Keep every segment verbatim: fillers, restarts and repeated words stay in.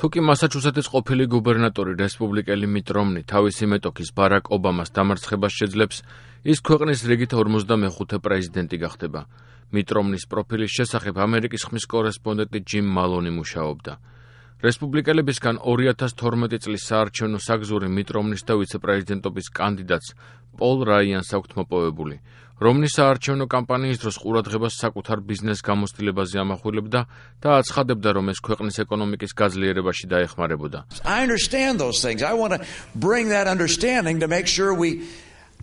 თუკი მასაჩუსეტის ყოფილი გუბერნატორი რესპუბლიკელი მიტ რომნი თავისი მეტოქის ბარაკ ობამას დამარცხებას შეძლებს, ის ქვეყნის რიგით ორმოცდამეხუთე პრეზიდენტი გახდება. მიტ რომნის პროფილის შესახებ ამერიკის ხმის კორესპონდენტი ჯიმ მალონი მუშაობდა. რესპუბლიკელებისგან ორი ათას თორმეტი წლის საარჩევნო საგზური მიტ რომნის და ვიცე-პრეზიდენტობის კანდიდატს პოლ რაიანს აქვთ მოპოვებული. რომნის საარჩევნო კამპანიის დროს ყურადღებას საკუთარ ბიზნეს გამოცდილებაზე ამახვილებდა და აცხადებდა, რომ ეს ქვეყნის ეკონომიკის გაძლიერებაში დაეხმარებოდა. I understand those things. I want to bring that understanding to make sure we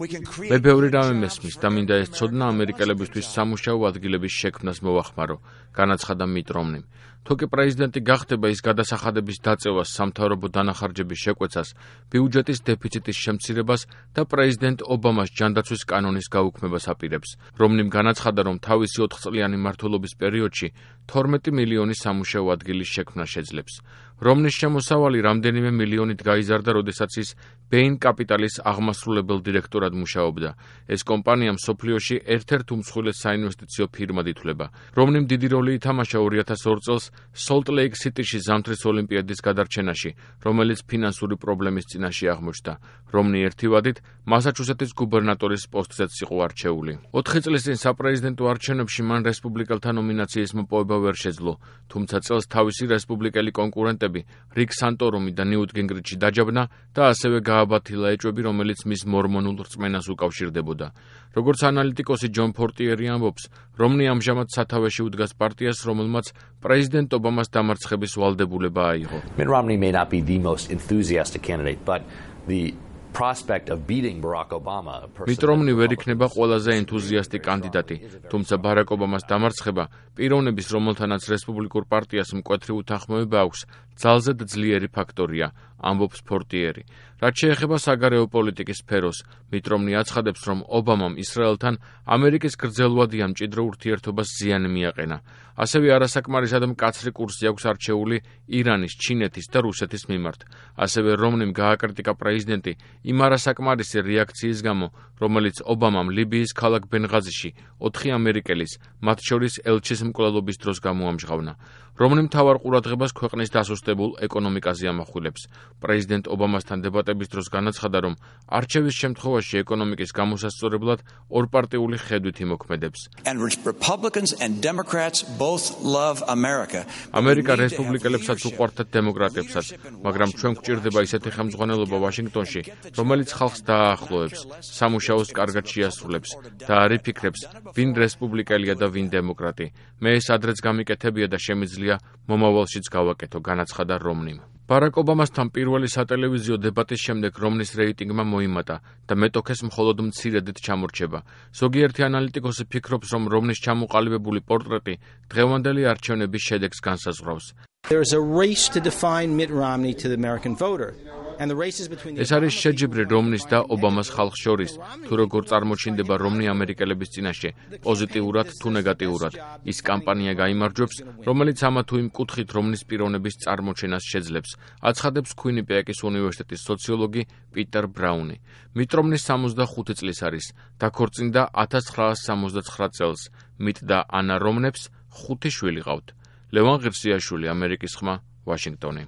მე ბევრი რამე მესმის და მინდა ეს ცოდნა ამერიკელებისთვის სამუშაო ადგილების შექმნას მოვახმარო, განაცხადა მიტ რომნიმ. თუკი პრეზიდენტი გახდება, ის გადასახადების დაწევას, სამთავრობო დანახარჯების შეკვეცას, ბიუჯეტის დეფიციტის შემცირებას და პრეზიდენტ ობამას ჯანდაცვის კანონის გაუქმებას აპირებს. რომნიმ განაცხადა, რომ თავისი ოთხწლიანი მმართველობის პერიოდში თორმეტი მილიონი სამუშაო ადგილის შექმნა შეძლებს. რომნის შემოსავალი რამდენიმე მილიონით გაიზარდა, როდესაც ის ბეინ კაპიტალის აღმასრულებელ დირექტორად მუშაობდა. ეს კომპანია მსოფლიოში ერთ-ერთ უმსხვილეს საინვესტიციო ფირმად ითვლება. რომნიმ დიდი როლი ითამაშა ორი ათას ორ წელს სოლტ ლეიქ სიტიში ზამთრის ოლიმპიადის გადარჩენაში, რომელიც ფინანსური პრობლემის წინაშე აღმოჩნდა. რომნი ერთი ვადით მასაჩუსეტის გუბერნატორის პოსტზეც იყო არჩეული. ოთხი წლის წინ საპრეზიდენტო არჩევნებში მან რესპუბლიკელთა ნომინაციის მოპოვება ვერ შეძლო, თუმცა წელს თავისი რესპუბლიკელი კონკურენტები რიკ სანტორუმი და ნიუტ გინგრიჩი დაჯაბნა და ასევე გააბათილა ეჭვები, რომელიც მის მორმონულ რწმენას უკავშირდებოდა. როგორც ანალიტიკოსი ჯონ ფორტიერი ამბობს, რომნი ამჟამად სათავეში უდგას პარტიას, რომელმაც პრეზიდენტ ობამას დამარცხების ვალდებულება აიღო. Mitt Romney may not be the most enthusiastic candidate, but the prospect of beating Barack Obama. მიტ რომნი ვერ იქნება ყველაზე ენთუზიასტი კანდიდატი, თუმცა ბარაკ ობამას დამარცხება პიროვნების, რომელთანაც რესპუბლიკურ პარტიას მკვეთრი უთანხმოება აქვს, ძალზედ ძლიერი ფაქტორია, ამბობს ფორტიერი. რაც შეეხება საგარეო პოლიტიკის სფეროს, მიტ რომნი აცხადებს, რომ ობამამ ისრაელთან ამერიკის გრძელვადიან მჭიდრო ურთიერთობას ზიანი მიაყენა. ასევე არასაკმარისად მკაცრი კურსი აქვს არჩეული ირანის, ჩინეთის და რუსეთის მიმართ. ასევე რომნიმ გააკრიტიკა პრეზიდენტი იმ არასაკმარისი რეაქციის გამო, რომელიც ობამამ ლიბიის ქალაქ ბენღაზიში ოთხი ამერიკელის, მათ შორის ელჩის მკვლელობის დროს გამოამჟღავნა. რომნიმ მთავარ ყურადღებას ქვეყნის დასუსტებულ ეკონომიკაზე ამახვილებს. პრეზიდენტ ობამასთან დებატების დროს განაცხადა, რომ არჩევის შემთხვევაში ეკონომიკის გამოსასწორებლად ორპარტიული ხედვით იმოქმედებს. ამერიკა რესპუბლიკელებსაც უყვარდათ დემოკრატებსაც, მაგრამ ჩვენ გვჭირდება ისეთი ხელმძღვანელობა ვაშინგტონში, რომელიც ხალხს დააახლოებს, სამუშაოს კარგად შეასრულებს და არ იფიქრებს, ვინ რესპუბლიკელია და ვინ დემოკრატი. მე ეს ადრეც გამიკეთებია და შემიძლია მომავალშიც გავაკეთო, განაცხადა რომნიმ. ბარაკ ობამასთან პირველი სატელევიზიო დებატის შემდეგ რომნის რეიტინგმა მოიმატა და მეტოქეს მხოლოდ მცირედით ჩამორჩება. ზოგიერთი ანალიტიკოსი ფიქრობს, რომ რომნის ჩამოყალიბებული პორტრეტი დღევანდელი არჩევნების შედეგს განსაზღვრავს. There is a race to define Mitt Romney to the American voter. ეს არის შეჯიბრი რომნის და ობამას ხალხს შორის, თუ როგორ წარმოჩინდება რომნი ამერიკელების წინაშე, პოზიტიურად თუ ნეგატიურად. ის კამპანია გაიმარჯვებს, რომელიც ამა თუ იმ კუთხით რომნის პიროვნების წარმოჩენას შეძლებს, აცხადებს κουინიპეკის უნივერსიტეტის სოციოლოგი პიტერ ბრაუნი. მიტ რომნი სამოცდახუთი წლის არის, დაქორწინდა ათას ცხრაასი სამოცდაცხრა წელს. მიტ და ანა რომნებს ხუთი შვილი ყავთ. ლევან ღირსიაშვილი, ამერიკის ხმა, ვაშინგტონი.